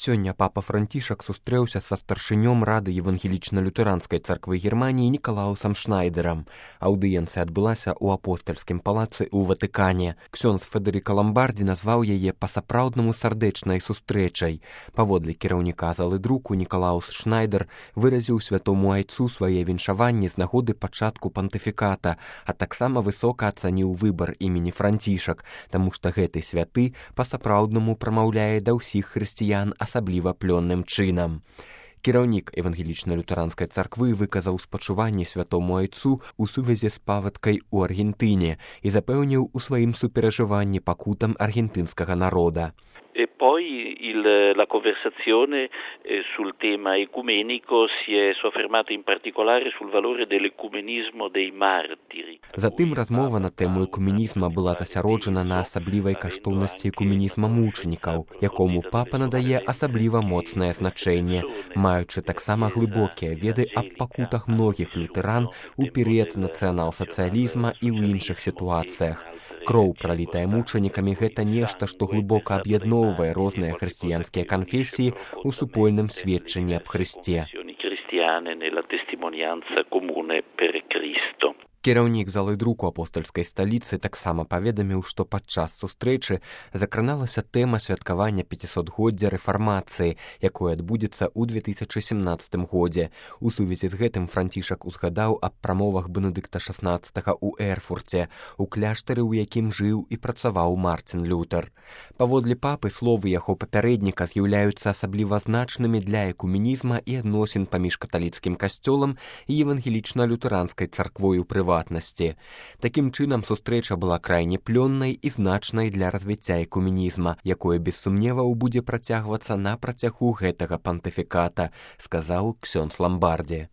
Сёння папа Францішак сустрэўся са старшынём Рады евангелічна-лютэранскай царквы Германіі Нікалаусам Шнайдерам. Аўдыенцыя адбылася ў апостальскім палацы ў Ватыкане. Ксёндз Федэрыка Ламбардзі назваў яе па-сапраўднаму сардэчнай сустрэчай. Паводле кіраўніка залы друку Нікалаус Шнайдер выразіў святому айцу свае віншаванні з нагоды пачатку пантыфіката, а таксама высока ацаніў выбар імені Францішак, таму што гэты святы па-сапраўднаму прамаўляе да ўсіх хрысціян асабліва плённым чынам. Кіраўнік евангелічна-лютэранскай царквы выказаў спачуванні святому айцу ў сувязі з паводкай у Аргентыне і запэўніў у сваім суперажыванні пакутам аргентынскага народа. E poi la conversazione sul tema ecumenico si è soffermata in particolare sul valore dell'ecumenismo dei martiri. Затым размова на тэму экуменізма была засяроджана на асаблівай каштоўнасці экуменізма мучанікаў, якому папа надае асабліва моцнае значэнне, маючы таксама глыбокія веды аб пакутах многіх лютэран у перыяд нацыянал-сацыялізма і ў іншых сітуацыях. Кроў, пралітая мучанікамі, гэта нешта, што глыбока аб'ядноўвае розныя хрысціянскія канфесіі ў супольным сведчанні аб Хрысце. Кіраўнік залы друку апостальскай сталіцы таксама паведаміў, што падчас сустрэчы закраналася тэма святкавання 500-годдзя рэфармацыі, якое адбудзецца ў 2017 годзе. У сувязі з гэтым Францішак узгадаў аб прамовах Бенедыкта XVI ў Эрфурце, у кляштары, у якім жыў і працаваў Марцін Лютэр. Паводле папы, словы яго папярэдніка з'яўляюцца асабліва значнымі для экуменізма і адносін паміж каталіцкім касцёлам і евангелічна-лютэранскай царквой у прыватнасці. Такім чынам, сустрэча была крайне плённай і значнай для развіцця экуменізма, якое без сумневаў будзе працягвацца на працягу гэтага пантыфіката, сказаў ксёндз Ламбардзі.